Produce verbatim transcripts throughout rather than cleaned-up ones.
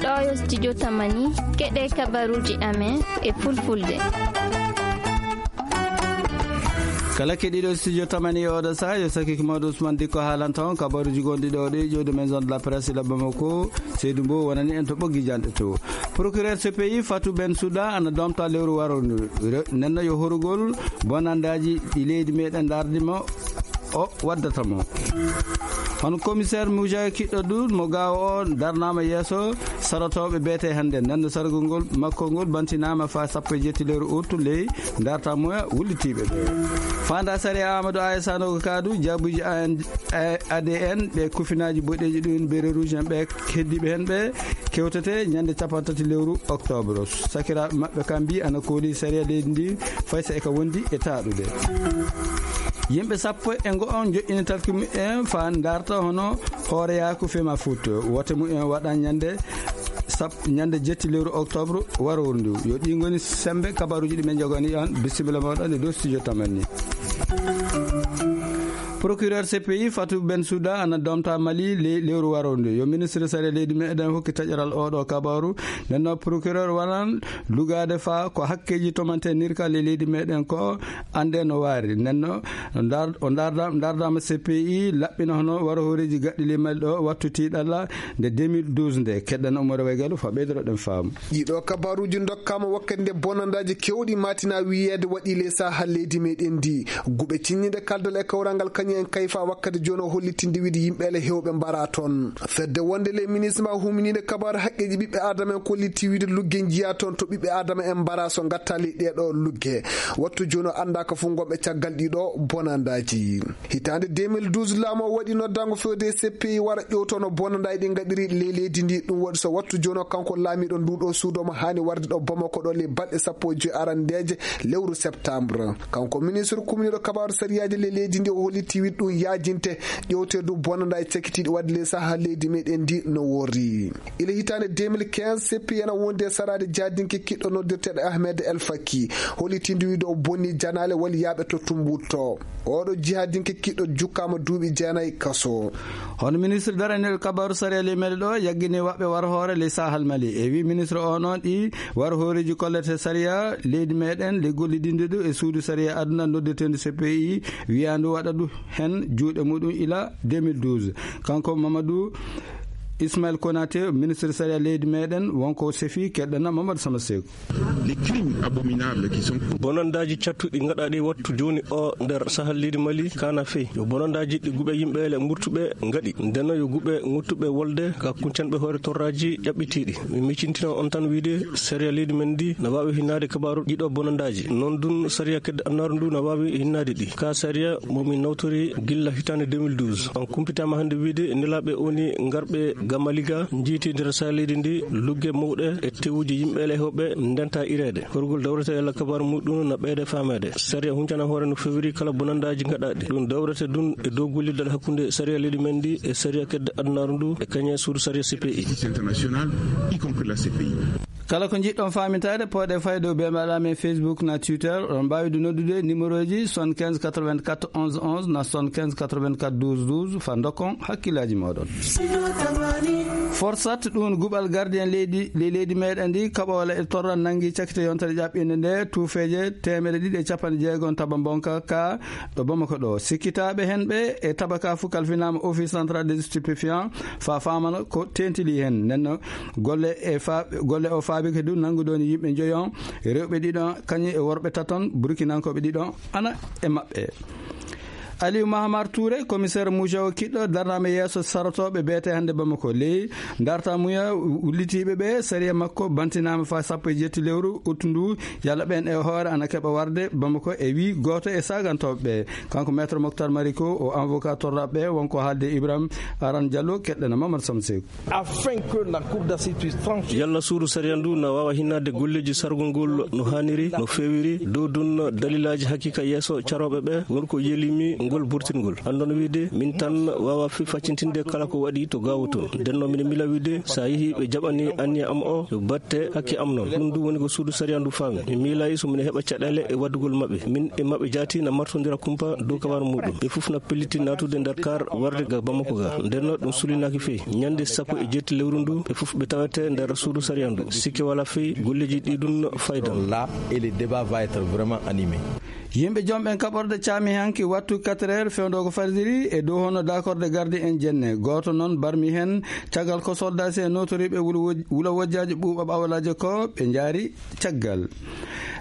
Ɗo yo studio Tamani, keɗe kabaruji amen e fulfulde. Kala keɗiɗo studio Tamani e oɗo saha, yo sakiki mawɗo Ousmane Dikko haalanta on kabaruji gonɗi ɗo ɗi ƴewde maison de la presse ila Bamako. Seydou Mbow wonani en to ɓoggi janɗe to. Procureur C P I Fatou Ben Souda ana domta lewru waroru ndu. Re-, nenno yo horugol bonandaji ɗi leydi meɗen dardi mo o waddata mo. Hono commissaire Moussa Kiɗɗo Dour mo Gaawo o darnama yeeso sarotooɓe beete hannde. Nden no sargol ngol makko ngol bantinama fa sappo e jetti lewru août ley darta moya wullitiiɓe ɓe. Fanda sariya Amadou Aya Sanogo Kadou, jaabuji A N, A D N, ɓe kufinaaji boɗeeji ɗum, bere rouge en ɓe heddiiɓe heen ɓe kewtete ñande cappanɗe tati lewru octobre. Sakiraaɓe maɓɓe kam mbi ana kooli sariya leydi ndi fay so e ka wondi e taaɗude. Yimɓe sappo e ngo on joƴƴini talki mumen fa darta hono hooreyaaku Fema Foot. Wote mumen waɗan ñande sap-, ñande jetti lewru octobre waroru ndu. Yo ɗi ngoni sembe kabaruji ɗi men jogani on. Bisimilla moɗon e dow studio Tamani. Procureur C P I Fatou Ben Souda ana domta Mali le-, lewru waroru ndu. Yo ministre sariya leydi meɗen hokki taƴaral oɗo kabaru. Nenno procureur wanan lugade fa ko hakkeji tomante nirka le leydi meɗen ko ande no waari. Nenno ndar-, o ndarda-, ndardama C P I laɓɓina hono waro hooreji gaɗɗi le Mali ɗo wattu tiɗalla nde deux mille douze nde. Keɗɗan Oumar Waygalu fa ɓeydoro ɗen faamu. Ɗiɗo kabaruji dokkama wakkati nde bonandaji kewɗi matina wiyeede waɗi ley saha leydi meɗen ndi. Guɓe cinnide kaldal e kawral ngal kañum en kayfa wakkati jooni o hollitinde wiide yimɓe ele hewɓe mbara toon. Fedde wonde ley ministre ma huminide kabaru haqqeji ɓiɓɓe adama en kolliti wiide lugge njiya toon to ɓiɓɓe adama en mbara so gatta ley ɗeɗo lugge. Wattu jooni o anda ka fof gonɓe caggal ɗiɗo bonandaji. Hitaande deux mille douze, laamu o waɗi noddaango fewde e C P I wara ƴewtono bonandaji ɗi ngaɗiri ley leydi ndi. Ɗum waɗi so wattu jooni o kanko laamiɗo ndu ɗo suudu omo haani warde ɗo Bamako ɗo ley balɗe sappo e joy arandeeje lewru septembre. Kanko ministre kumniɗo kabaaru sariyaaji ley leydi ndi o holliti wiɗ ɗum yaajinte ƴewteedu bonandaji cakitiiɗi waɗde ley saha leydi meɗen ndi no worri. Ila hitaande deux mille quinze, C P I ena wondi e saraade jaadinke kiɗɗo noddirteeɗo Ahmed El Faki. Hollitinde wiide o bonni janaale walla yaaɓe to Tumbuttu. Oɗo jihadinke kiɗɗo jukkaama duuɓi jeenayi kaso. Hono ministre daraniiɗo kabaaru sariya ley meɗe ɗo yaggini waɓɓe war hoore ley sahal Mali. E wi ministre o noon ɗi war hooreeji kollete sariya leydi meɗen le gollidinde ɗu e suudu sariya aduna noddirteendu C P I wiyandu waɗa ɗu hen juuɗe muɗum ila deux mille douze. Kanko Mamadou Ismaël Konaté, ministre sariya leydi meɗen, wonko sefi keɗɗana Mamadou Sama Seku. Les crimes abominables qui sont Bonandaji cattuɗi gaɗaɗi wattu joni o nder sahal leydi Mali kana fey. Yo bonandaji ɗi guɓe yimɓe le murtuɓe gaɗi. Ndeno yo guɓe nguttuɓe wolde ka kuncanɓe hoore torraji ƴaɓɓitiɗi. Mi miccintino on tan wiide sariya leydi men ndi na wawi hinnade kabaru ɗiɗo bonandaji. Non dun sariya kedde annaru ndu na wawi hinnade ɗi. Ka sariya mo min nawtori gilla hitande deux mille douze. On kumpitama hande wiide nelaɓe oni ngarɓe Gamaliga, njiiti nder sahal leydi ndi lugge mawɗe e tewuji yimɓe ele hewɓe ndenta ireede. Horgol dawrete e lakkabar muɗum na ɓeyde fameede. Sariya huncana hoore no fewiri kala bonandaji gaɗaɗi. Ɗum dawrete dun e dow gollidal hakkunde sariya leydi men ndi e sariya kedde adunaaru ndu e kañe suudu sariya C P I. International, y compris la C P I. Kala ko njiɗɗon faamitaade, pooɗe fayde o bee mbaɗa men Facebook na Twitter. Oɗon mbaawi du noddude numéro ji soixante-quinze quatre-vingt-quatre onze onze na soixante-quinze quatre-vingt-quatre douze douze fa ndokkon hakkillaaji mooɗon. Forsat ɗum guɓal gardien leydi, ley leydi meɗen ndi, kaɓoola e torra nangi cakite yontere ƴaɓɓinde nde, tuufeeje teemeɗe ɗiɗi e capanɗe jeego taba mbonka ka ɗo Bamako ɗo. Sikkitaaɓe hen ɓe e tabaka fu kalfinaama Office Central des Stupéfiants fa faamana ko tentili hen. Nenno golle e fa-, golle o faabi kadi nanngude on yimɓe njoyo, rewɓe ɗiɗo kañum e worɓe taton, burkinankooɓe ɗiɗo ana e maɓɓe. Aliou Mahamar Touré, commissaire Moujawo Kiɗɗo, darnaama yeeso sarotooɓe beete hannde Bamako. Ley darta muya wullitiiɓe ɓe, sariya makko bantinaama fa sappo e jetti lewru août ndu, yalla ɓen e hoore ana keɓa warde Bamako e wi gooto e sagantooɓe ɓe. Kanko Maître Moctar Mariko, o avocat torraɓe ɓe, wonko haalde Ibrahim Aran Diallo, keɗɗena Mamadou Samsek. Afin que la Cour d'assises puisse trancher. Yalla suudu sariya ndu na waawa hinnaade golleeji sargol ngol no haaniri, no feewiri, dow dun daliilaaji hakiika yeeso carooɓe ɓe, ngol ko yelimi, Ngol burtingol. Anndon wiide, min tan waawa fi faccintinde kala ko waɗi to gaawo toon. Nden noon, miɗo mila wiide, so a yehi ɓe jaɓani anniya am o, yo batte hakke am noon. Ɗum du woni ko suudu sariya ndu faami. Mi miilay so mine heɓa caɗeele e waddugol maɓɓe. Min e maɓɓe jaati na martondira kumpa dow kabaru muɗum. Ɓe fof na pelliti naatude nder kar warde ga Bamako ga. Nden noon, ɗum sulinaaki fey. Ñande sappo e jeetti lewru ndu, ɓe fof ɓe tawete nder suudu sariya ndu. Sikke wala fey, golleeji ɗi ɗum faydan. Là, et le débat va être vraiment animé. Yimɓe jom ɓen kaɓorɗe caami hanki wattu quatre heures fewndo ko fardiri e dow hono dakorde gardi en jenne. Gooto noon barmi heen caggal ko soldasi e notoriiɓe wula woj-, wula wojjaaji ɓuuɓa ɓawlaaje ko ɓe njaari caggal.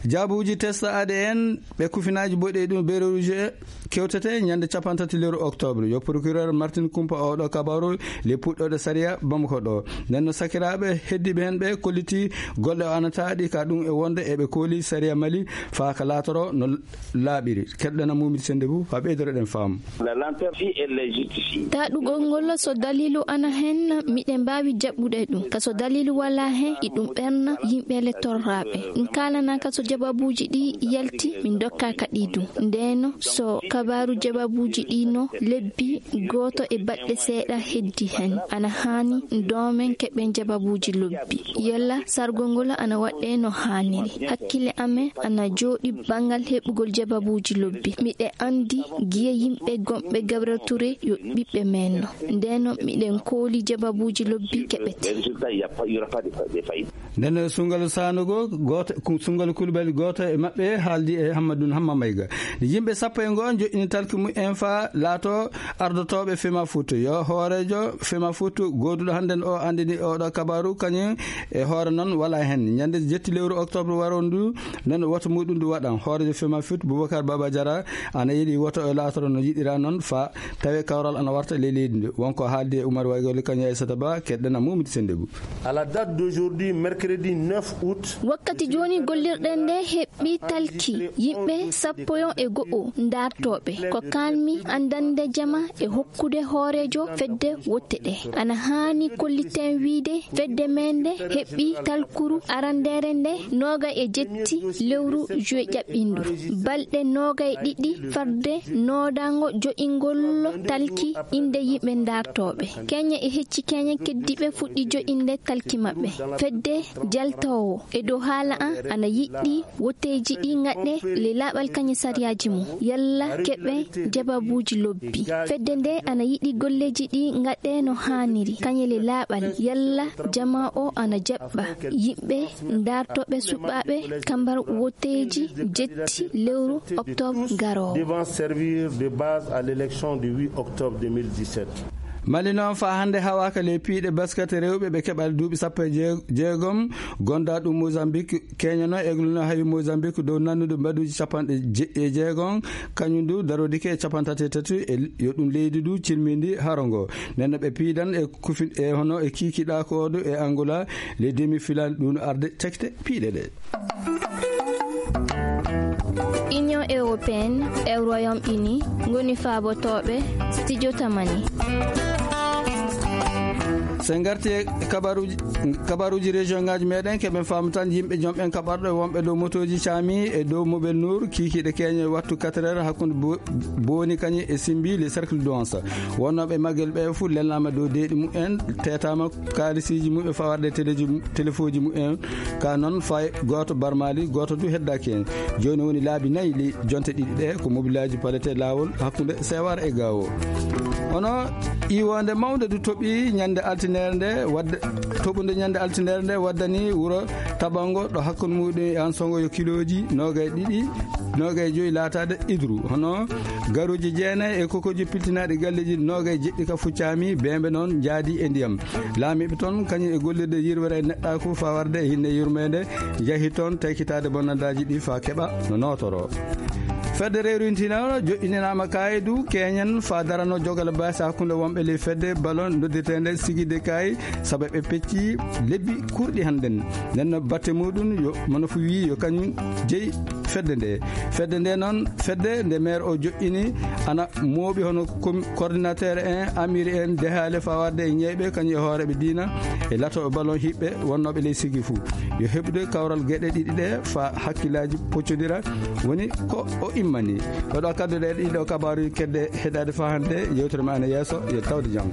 Jaabuuji test A D N ɓe kufinaaji boɗeeɗi ɗum Béré Rouge kewtete ñande capanɗe tati lewru octobre. Yo procureur Martin Kumpa oɗo kabaru le puɗɗoɗe sariya Bamako ɗo. Nden no sakiraaɓe heddiiɓe heen ɓe kolliti golle o anataaɗi ka ɗum e wonde eɓe kooli sariya Mali faa ka laatoro no laaɓiri. Keɗɗana Mumidi Sennde Bou faa ɓeydoroɗen faamu. La lenteur, si elle est justifiée. Taɗugol ngol so daliilu ana heen, miɗen mbaawi jaɓɓude ɗum. Ka so daliilu walaa heen, iɗum ɓerna yimɓe le torraaɓe. Ɗum kaalanaaka so jababuuji ɗi yalti, min ndokkaaka ɗi du. Ndeen so kabaaru jababuuji ɗi no lebbi gooto e baɗɗe seeɗa heddi heen, ana haani doomen keɓen jababuuji lobbi. Yalla sargol ngol ana waɗɗee no haaniri. Hakkille amen ana jooɗi banngal heɓugol jababuuji lobbi. Miɗe anndi giye yimɓe gomɓe Gabriel Touré yo ɓiɓɓe men no. Ndeen miɗen kooli jababuuji lobbi keɓete. Nden sunngalu sanugo gooto, ku-, sunngalu Kulubali gooto e maɓɓe haaldi e Hammadun Hamma Mayga. Nde yimɓe sappo e ngoo joƴƴini talki mumen faa laato ardotooɓe Fema Foot. Yo hooreejo Fema Foot gooduɗo hannden o anndini oɗo kabaru kañum e hoore noon walaa heen. Ñande jetti lewru octobre waroon ndu, nden woto muɗum ndu waɗan. Hooreejo Fema Foot Boubacar Baba Diarra ana yiɗi woto o laatoro no yiɗira noon faa tawe kawral ana warta ley leydi ndi. Wonko haaldi e Oumar Waygoli kañum e Aissata Ba, keɗɗen a Mumidi Sennde Bou. À la date d'aujourd'hui, mercredi neuf août. Wakkati jooni gollirɗen nde heɓɓi talki yimɓe sappo e go'o ndaartooɓe. Ko kalmi anndande jama e hokkude hooreejo fedde wotte ɗe. Ana haani kolliten wiide fedde men nde heɓɓi talkuru arandeere nde noogay e jetti lewru juwe ƴaɓɓindu. Balɗe noogay ɗiɗi farde noodango jo'ingol talki innde yimɓe ndaartooɓe. Keñe e hecci keñe keddiiɓe fuɗɗi jo'inde talki maɓɓe. Fedde jaltoowo e dow haala an ana yiɗi wotteeji ɗi ngaɗe le laaɓal kañe sariyaaji mum. Yalla keɓe jababuuji lobbi. Fedde nde ana yiɗi golleeji ɗi ngaɗe no haaniri kañe le laaɓal. Yalla jama o ana jaɓɓa yimɓe ndaartooɓe suɓaaɓe kambar wotteeji jetti lewru octobre garoowo. Devant servir de base à l'élection du huit octobre deux mille dix-sept. Mali noon faa hannde hawaaka ley piiɗe basket rewɓe ɓe keɓal duuɓi sappo e jeegom, gonda ɗum Mozambique, keñono egluno hawi Mozambique dow nannude mbaɗuuji capanɗe je-, e jeegom, kañum du darodike e capanɗe tati e tati, e yo ɗum leydi du cilmindi haro ngo. Nden no ɓe piidan e kufin-, e hono e kiikiɗa ko du e Angola, les demi-finales ɗum arde tekte piiɗe ɗe. Union européenne e Royaume-Uni ngoni faabotooɓe studio Tamani. So en ngarti e kabaruuji, kabaruuji région ngaji meɗen, keɓen faamu tan yimɓe jom en kaɓarɗo e wonɓe dow motooji caami e dow Mobel Nour, kiikiiɗe keeñe wattu quatre heures hakkunde bo-, Booni kañum e Simbi, le cercle d'Anse. Wonnooɓe maggel ɓe fof lelnaama dow deeɗi mumen, teetaama kaalisiiji mumen faa warde teleji mu-, telefoji mumen. Ka noon fay gooto barmaali, gooto du heddaaki heen. Jooni woni laabi nayi ley jonte ɗiɗi ɗe ko mobilaaji palete laawol hakkunde Sewar e Gaawo. Hono iwonde mawnde du toɓi ñande altineere nde wadde, toɓunde ñande altineere nde waddani wuro Tabango ɗo hakkunde muɗum e Ansongo yo kilooji noogay ɗiɗi, noogay joyi laataade idru. Hono garuuji jeenayi e kokooji piltinaaɗi galleeji noogay jeɗɗi ka fuccaami, beembe noon njaadi e ndiyam. Laamiiɓe toon kañum e gollirde yirwere e neɗɗaaku faa warde e hinne yurmeende, njahi toon taykitaade bonnandaaji ɗi faa keɓa no nootoro. Fedde rewrintinaano joƴƴinanaama kaayidu keeñen faa darano jogale baasi hakkunde wonɓe ley fedde ballon noddirteende Sigide Kaay, sabu ɓe pecci lebbi kurɗi hannden. Nden no batte muɗum yo, mono fu wii yo kañum jeyi Fedde nde fedde nde noon fedde nde maire o joƴƴini ana mooɓi hono coordinateur en amiri en dehaale fawarde e ñeyɓe kañum e hooreɓe diina e latoɓe ballon hiɓɓe wonnoɓe ley sigi fou yo heɓude kawral gueɗe ɗiɗi ɗe fa hakkillaji poccodira woni ko o immani. Oɗo kaddu ɗe ɗiɗo kabaruji kedde heɗade fa hande yewtere ma ene yesso yo tawde jaam.